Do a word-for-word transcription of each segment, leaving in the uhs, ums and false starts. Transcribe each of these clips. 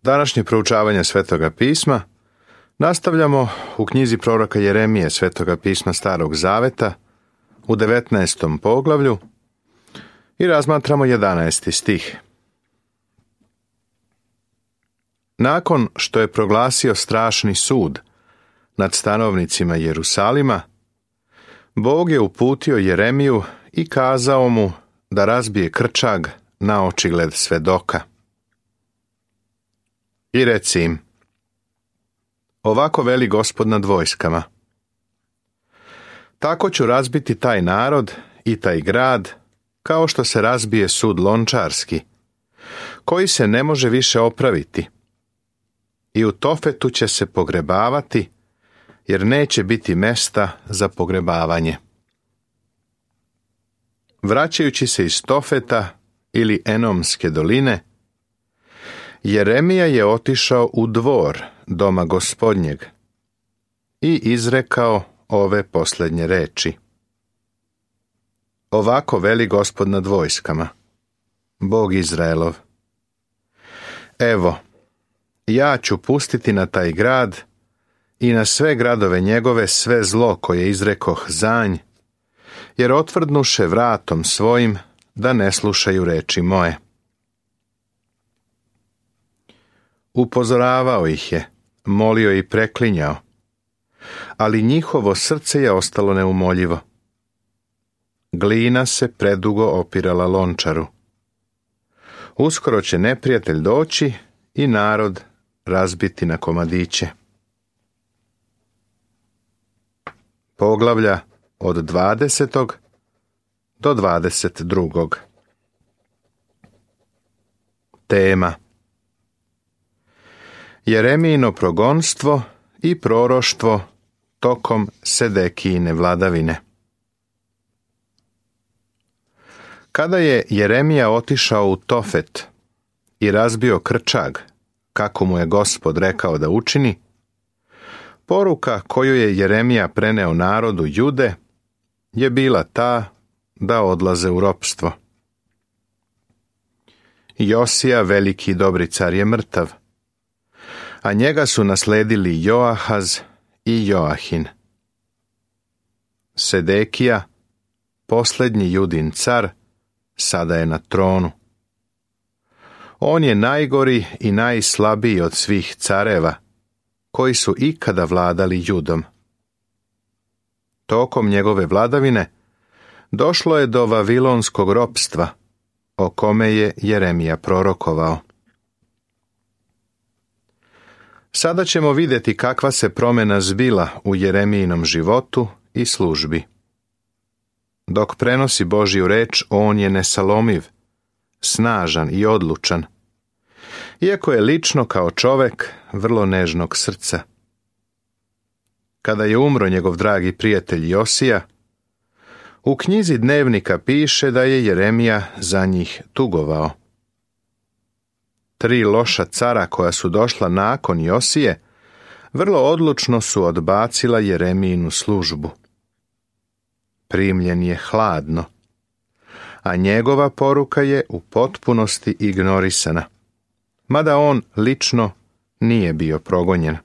Današnje proučavanje Svetoga pisma nastavljamo u knjizi proroka Jeremije Svetoga pisma Starog Zaveta u devetnaestom poglavlju i razmatramo jedanaesti stih. Nakon što je proglasio strašni sud nad stanovnicima Jerusalima, Bog je uputio Jeremiju i kazao mu da razbije krčag na očigled svedoka. I reci im: ovako veli Gospod nad vojskama, tako ću razbiti taj narod i taj grad, kao što se razbije sud lončarski, koji se ne može više opraviti. I u Tofetu će se pogrebavati, jer neće biti mesta za pogrebavanje. Vraćajući se iz Tofeta ili Enomske doline, Jeremija je otišao u dvor doma Gospodnjeg i izrekao ove posljednje reči. Ovako veli Gospod nad vojskama, Bog Izraelov: evo, ja ću pustiti na taj grad i na sve gradove njegove sve zlo koje izrekoh za nj, jer otvrdnuše vratom svojim da ne slušaju reči moje. Upozoravao ih je, molio i preklinjao, ali njihovo srce je ostalo neumoljivo. Glina se predugo opirala lončaru. Uskoro će neprijatelj doći i narod razbiti na komadiće. Poglavlja od dvadesetog do dvadeset drugog. Tema: Jeremijino progonstvo i proroštvo tokom Sedekijine vladavine. Kada je Jeremija otišao u Tofet i razbio krčag, kako mu je Gospod rekao da učini, poruka koju je Jeremija preneo narodu Jude je bila ta da odlaze u ropstvo. Josija, veliki dobri car, je mrtav, a njega su nasledili Joahaz i Joahin. Sedekija, posljednji Judin car, sada je na tronu. On je najgori i najslabiji od svih careva koji su ikada vladali Judom. Tokom njegove vladavine došlo je do vavilonskog ropstva, o kome je Jeremija prorokovao. Sada ćemo vidjeti kakva se promjena zbila u Jeremijinom životu i službi. Dok prenosi Božju reč, on je nesalomiv, snažan i odlučan, iako je lično kao čovek vrlo nežnog srca. Kada je umro njegov dragi prijatelj Josija, u knjizi dnevnika piše da je Jeremija za njih tugovao. Tri loša cara koja su došla nakon Josije vrlo odlučno su odbacila Jeremijinu službu. Primljen je hladno, a njegova poruka je u potpunosti ignorisana, mada on lično nije bio progonjen.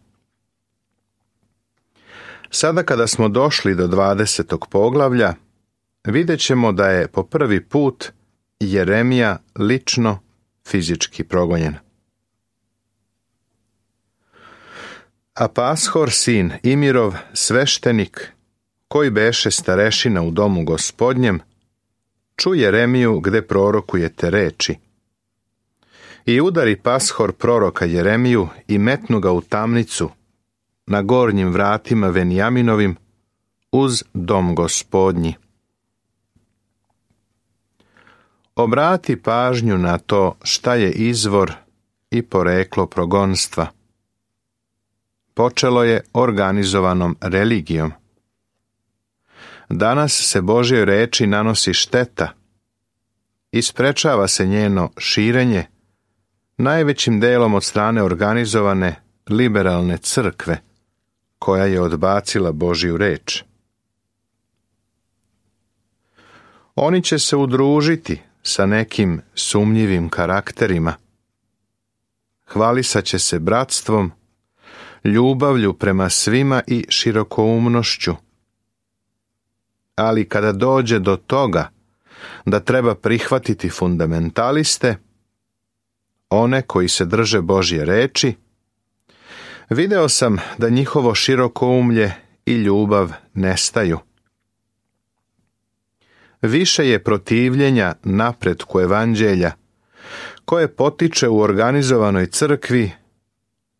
Sada kada smo došli do dvadesetog poglavlja, vidjet ćemo da je po prvi put Jeremija lično fizički progonjen. A Pashor, sin Imirov, sveštenik, koji beše starešina u domu Gospodnjem, ču Jeremiju gde prorokuje te reči. I udari Pashor proroka Jeremiju i metnu ga u tamnicu na gornjim vratima Venjaminovim uz dom Gospodnji. Obrati pažnju na to šta je izvor i poreklo progonstva. Počelo je organizovanom religijom. Danas se Božjoj reči nanosi šteta i sprečava se njeno širenje najvećim delom od strane organizovane liberalne crkve, koja je odbacila Božju reč. Oni će se udružiti sa nekim sumnjivim karakterima, hvalisat će se bratstvom, ljubavlju prema svima i širokoumnošću. Ali kada dođe do toga da treba prihvatiti fundamentaliste, one koji se drže Božje reči, video sam da njihovo širokoumlje i ljubav nestaju. Više je protivljenja napretku evanđelja, koje potiče u organizovanoj crkvi,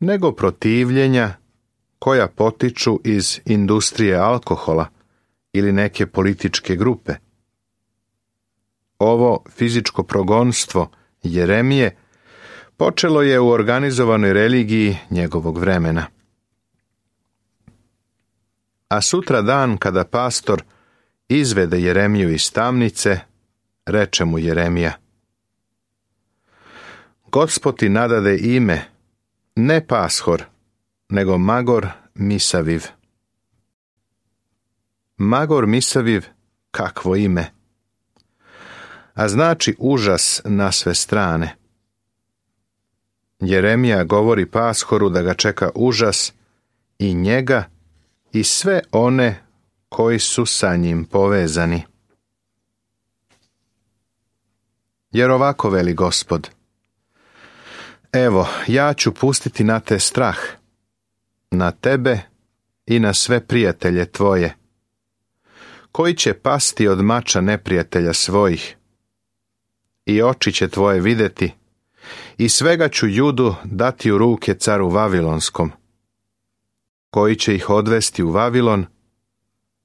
nego protivljenja koja potiču iz industrije alkohola ili neke političke grupe. Ovo fizičko progonstvo Jeremije počelo je u organizovanoj religiji njegovog vremena. A sutra dan kada pastor izvede Jeremiju iz tamnice, reče mu Jeremija: Gospod ti nadade ime, ne Pashor, nego Magor Misaviv. Magor Misaviv, kakvo ime! A znači užas na sve strane. Jeremija govori Pashoru da ga čeka užas i njega i sve one koji su sa njim povezani. Jer ovako veli Gospod: Evo, ja ću pustiti na te strah, na tebe i na sve prijatelje tvoje, koji će pasti od mača neprijatelja svojih. I oči će tvoje vidjeti, i svega ću Judu dati u ruke caru Vavilonskom, koji će ih odvesti u Vavilon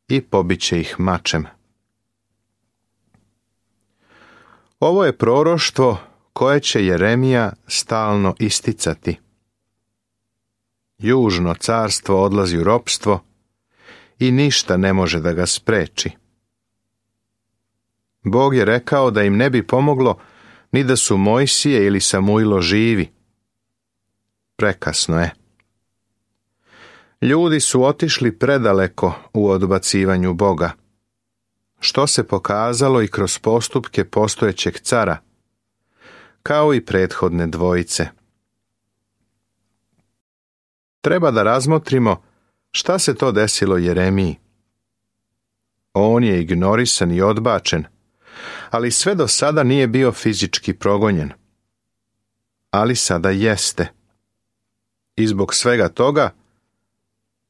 i pobiće ih mačem. Ovo je proroštvo koje će Jeremija stalno isticati. Južno carstvo odlazi u ropstvo i ništa ne može da ga spreči. Bog je rekao da im ne bi pomoglo ni da su Mojsije ili Samuilo živi. Prekasno je. Ljudi su otišli predaleko u odbacivanju Boga, što se pokazalo i kroz postupke postojećeg cara, kao i prethodne dvojice. Treba da razmotrimo šta se to desilo Jeremiji. On je ignorisan i odbačen, ali sve do sada nije bio fizički progonjen. Ali sada jeste. I zbog svega toga,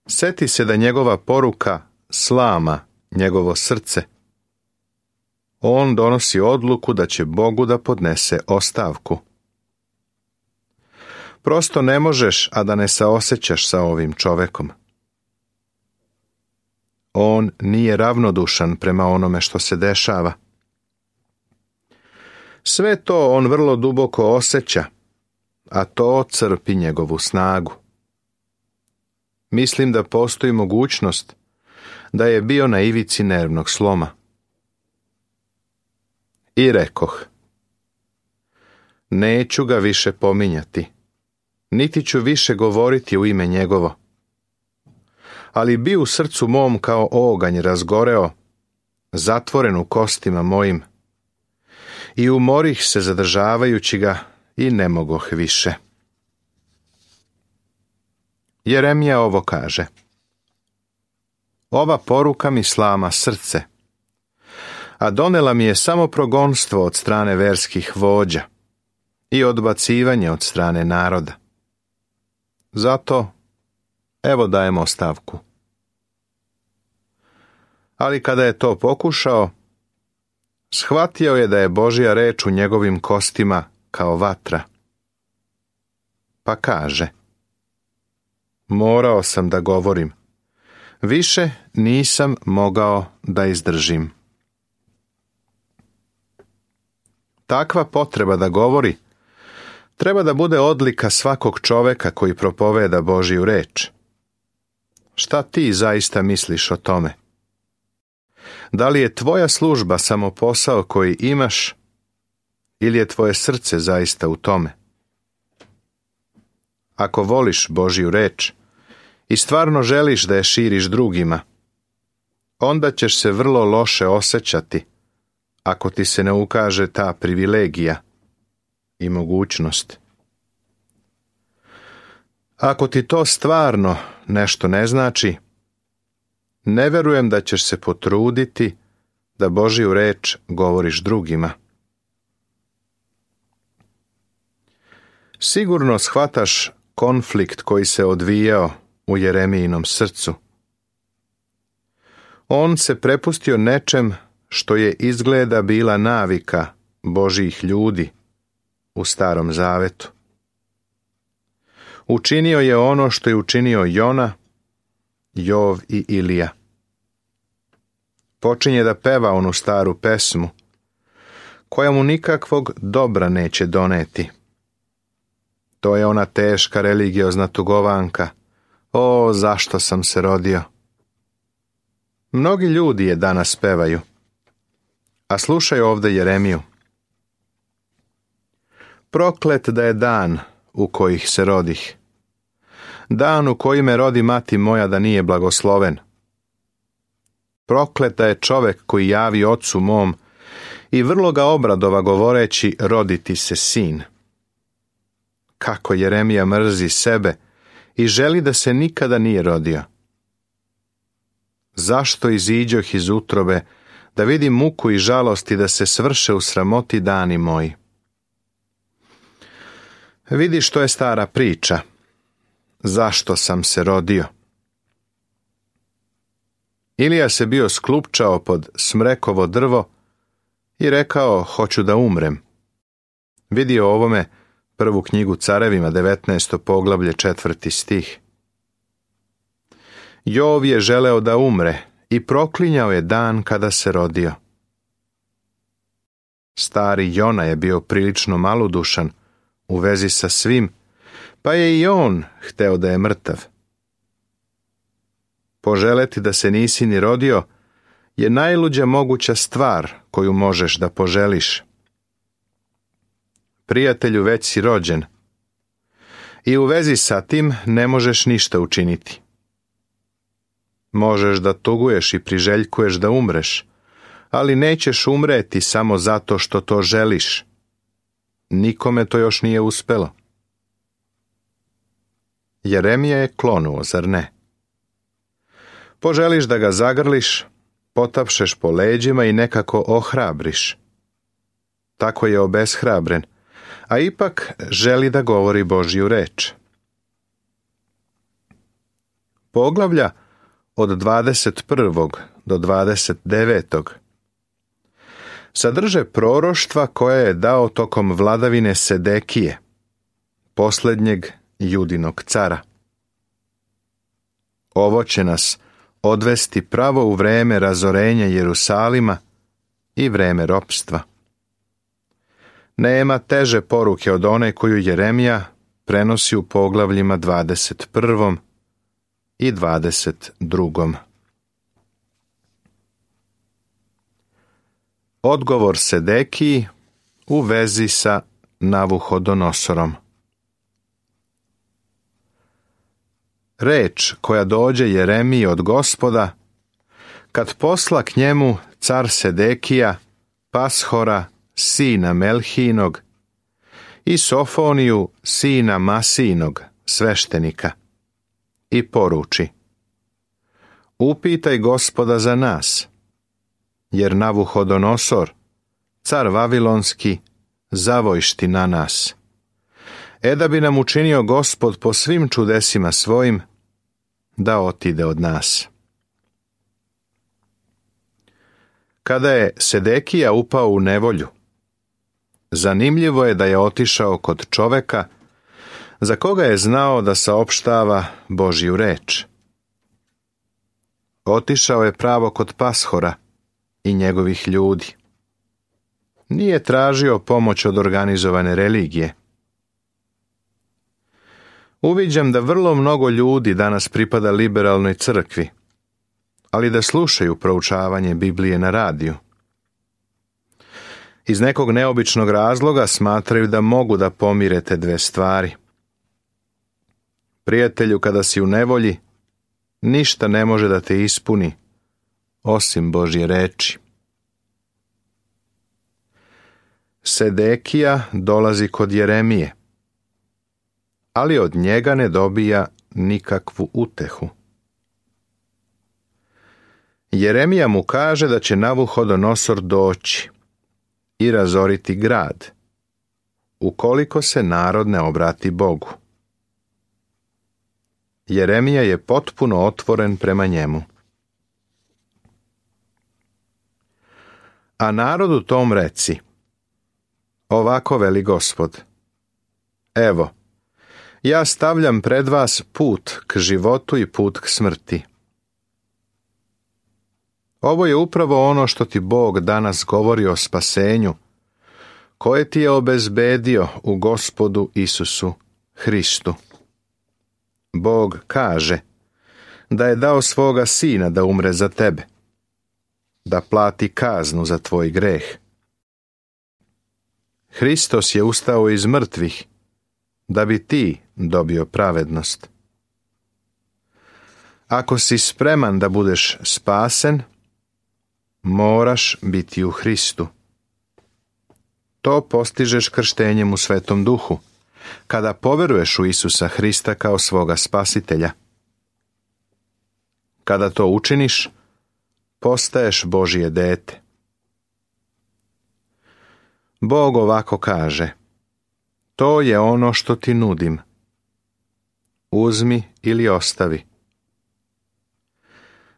seti se da njegova poruka slama njegovo srce. On donosi odluku da će Bogu da podnese ostavku. Prosto ne možeš, a da ne saosećaš sa ovim čovekom. On nije ravnodušan prema onome što se dešava. Sve to on vrlo duboko osjeća, a to crpi njegovu snagu. Mislim da postoji mogućnost da je bio na ivici nervnog sloma. I rekoh: neću ga više pominjati, niti ću više govoriti u ime njegovo. Ali bi u srcu mom kao oganj razgoreo, zatvoren u kostima mojim, i umorih se zadržavajući ga i ne mogoh više. Jeremija ovo kaže: ova poruka mi slama srce, a donela mi je samo progonstvo od strane verskih vođa i odbacivanje od strane naroda. Zato, evo dajem ostavku. Ali kada je to pokušao, shvatio je da je Božja reč u njegovim kostima kao vatra. Pa kaže: morao sam da govorim, više nisam mogao da izdržim. Takva potreba da govori treba da bude odlika svakog čoveka koji propoveda Božju reč. Šta ti zaista misliš o tome? Da li je tvoja služba samo posao koji imaš, ili je tvoje srce zaista u tome? Ako voliš Božju reč i stvarno želiš da je širiš drugima, onda ćeš se vrlo loše osjećati ako ti se ne ukaže ta privilegija i mogućnost. Ako ti to stvarno nešto ne znači, ne verujem da ćeš se potruditi da Božju reč govoriš drugima. Sigurno shvataš konflikt koji se odvijao u Jeremijinom srcu. On se prepustio nečem što je izgleda bila navika Božjih ljudi u Starom Zavetu. Učinio je ono što je učinio Jona, Jov i Ilija. Počinje da peva onu staru pesmu, koja mu nikakvog dobra neće doneti. To je ona teška religiozna tugovanka. O, zašto sam se rodio? Mnogi ljudi je danas pevaju. A slušaj ovdje Jeremiju. Proklet da je dan u kojih se rodih. Dan u koji me rodi mati moja da nije blagosloven. Prokleta je čovek koji javi ocu mom i vrlo ga obradova govoreći roditi se sin. Kako Jeremija mrzi sebe i želi da se nikada nije rodio. Zašto iziđoh iz utrobe da vidim muku i žalosti da se svrše u sramoti dani moji? Vidi što je stara priča. Zašto sam se rodio? Ilija se bio sklupčao pod smrekovo drvo i rekao, hoću da umrem. Vidi o ovome prvu knjigu Carevima, devetnaesto poglavlje, četvrti stih. Jov je želeo da umre i proklinjao je dan kada se rodio. Stari Jona je bio prilično malodušan u vezi sa svim, pa je i on hteo da je mrtav. Poželeti da se nisi ni rodio je najluđa moguća stvar koju možeš da poželiš. Prijatelju, već si rođen i u vezi sa tim ne možeš ništa učiniti. Možeš da tuguješ i priželjkuješ da umreš, ali nećeš umreti samo zato što to želiš. Nikome to još nije uspelo. Jeremija je klonuo, zar ne? Poželiš da ga zagrliš, potapšeš po leđima i nekako ohrabriš. Tako je obeshrabren, a ipak želi da govori Božju reč. Poglavlja od dvadeset prvog do dvadeset devetog sadrže proroštva koje je dao tokom vladavine Sedekije, posljednjeg Judinog cara. Ovo će nas odvesti pravo u vreme razorenja Jerusalima i vreme ropstva. Nema teže poruke od one koju Jeremija prenosi u poglavljima dvadeset prvom i dvadeset drugom. Odgovor Sedekiji u vezi sa Navuhodonosorom. Reč koja dođe Jeremiji od Gospoda, kad posla k njemu car Sedekija, Pashora, sina Melhinog, i Sofoniju, sina Masinog, sveštenika, i poruči: upitaj Gospoda za nas, jer Navuhodonosor, car Vavilonski, zavojšti na nas. E da bi nam učinio Gospod po svim čudesima svojim, da otide od nas. Kada je Sedekija upao u nevolju, zanimljivo je da je otišao kod čoveka za koga je znao da saopštava Božju reč. Otišao je pravo kod Pashora i njegovih ljudi. Nije tražio pomoć od organizovane religije. Uviđam da vrlo mnogo ljudi danas pripada liberalnoj crkvi, ali da slušaju proučavanje Biblije na radiju. Iz nekog neobičnog razloga smatraju da mogu da pomire te dve stvari. Prijatelju, kada si u nevolji, ništa ne može da te ispuni, osim Božje reči. Sedekija dolazi kod Jeremije, ali od njega ne dobija nikakvu utehu. Jeremija mu kaže da će Navuhodonosor doći i razoriti grad, ukoliko se narod ne obrati Bogu. Jeremija je potpuno otvoren prema njemu. A narodu tom reci: ovako veli Gospod, evo, ja stavljam pred vas put k životu i put k smrti. Ovo je upravo ono što ti Bog danas govori o spasenju, koje ti je obezbedio u Gospodu Isusu Hristu. Bog kaže da je dao svoga sina da umre za tebe, da plati kaznu za tvoj greh. Hristos je ustao iz mrtvih da bi ti dobio pravednost. Ako si spreman da budeš spasen, moraš biti u Hristu. To postižeš krštenjem u Svetom Duhu, kada poveruješ u Isusa Hrista kao svoga spasitelja. Kada to učiniš, postaješ Božje dete. Bog ovako kaže: to je ono što ti nudim. Uzmi ili ostavi.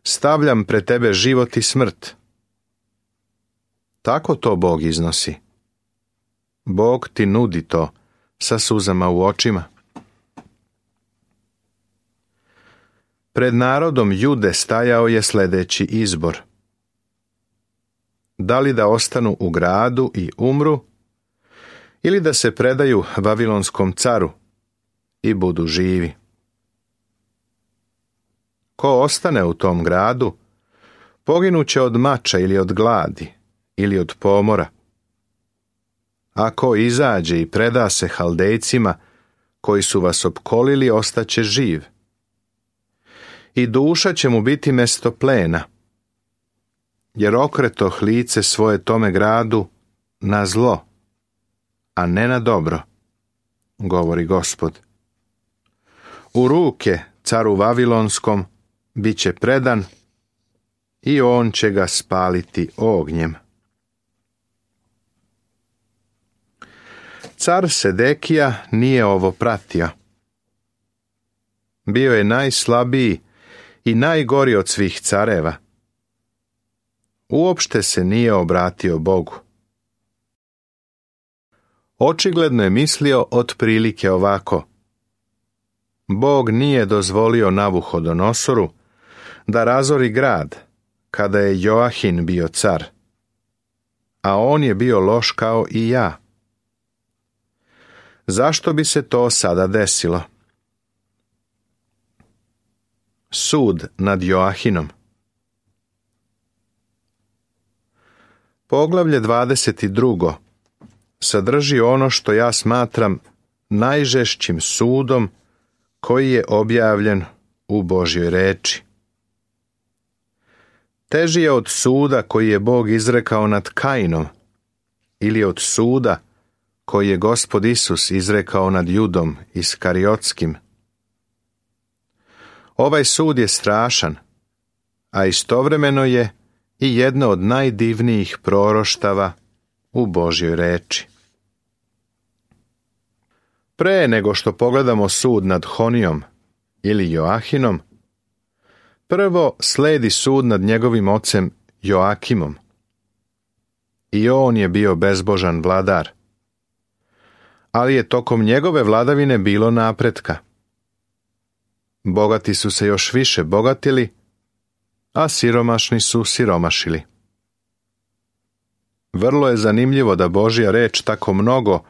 Stavljam pred tebe život i smrt. Tako to Bog iznosi. Bog ti nudi to sa suzama u očima. Pred narodom Jude stajao je sljedeći izbor: da li da ostanu u gradu i umru, ili da se predaju Vavilonskom caru i budu živi. Ko ostane u tom gradu, poginuće od mača ili od gladi ili od pomora. A ko izađe i preda se Haldejcima koji su vas opkolili, ostaće živ. I duša će mu biti mesto plena, jer okretoh lice svoje tome gradu na zlo, a ne na dobro, govori Gospod. U ruke caru Vavilonskom bit će predan i on će ga spaliti ognjem. Car Sedekija nije ovo pratio. Bio je najslabiji i najgori od svih careva. Uopšte se nije obratio Bogu. Očigledno je mislio otprilike ovako: Bog nije dozvolio Navuhodonosoru da razori grad kada je Joahin bio car, a on je bio loš kao i ja. Zašto bi se to sada desilo? Sud nad Joahinom. Poglavlje dvadeset dva sadrži ono što ja smatram najžešćim sudom koji je objavljen u Božjoj reči. Teži je od suda koji je Bog izrekao nad Kainom ili od suda koji je Gospod Isus izrekao nad Judom Iskariotskim. Ovaj sud je strašan, a istovremeno je i jedno od najdivnijih proroštava u Božjoj reči. Pre nego što pogledamo sud nad Honijom ili Joahinom, prvo sledi sud nad njegovim ocem Joakimom. I on je bio bezbožan vladar, ali je tokom njegove vladavine bilo napretka. Bogati su se još više bogatili, a siromašni su siromašili. Vrlo je zanimljivo da Božja reč tako mnogo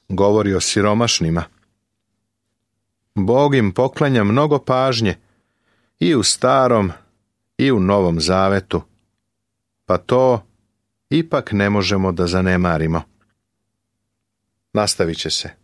govori o siromašnima. Bog im poklanja mnogo pažnje i u Starom i u Novom Zavetu, pa to ipak ne možemo da zanemarimo. Nastavit će se.